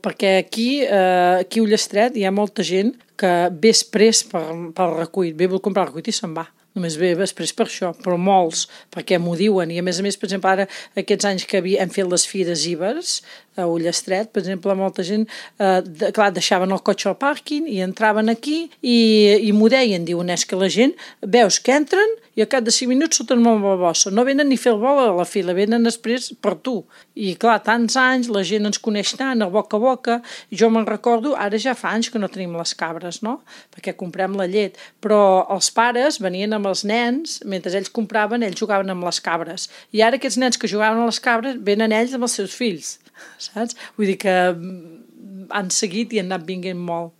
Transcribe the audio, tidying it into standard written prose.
Perquè aquí a Ullastret hi ha molta gent que ve exprés pel recull, ve a comprar el recull i se'n va. Només ve després per això, però molts, perquè m'ho diuen. I a més, per exemple, ara, aquests anys que hem fet les fires Ibers a Ullastret, per exemple, molta gent, clar, deixaven el cotxe al pàrquing i entraven aquí i m'ho deien, diuen, és que la gent, veus que entren i al cap de 5 minuts surten molt la bossa. No venen ni fer el vol a la fila, venen després per tu. I clar, tants anys, la gent ens coneix tant, a boca, i jo me'n recordo, ara ja fa anys que no tenim les cabres, no? Perquè comprem la llet, però els pares venien amb els nens, mentre ells compraven, ells jugaven amb les cabres. I ara aquests nens que jugaven a les cabres venen ells amb els seus fills, saps? Vull dir que han seguit i han anat vinguent molt.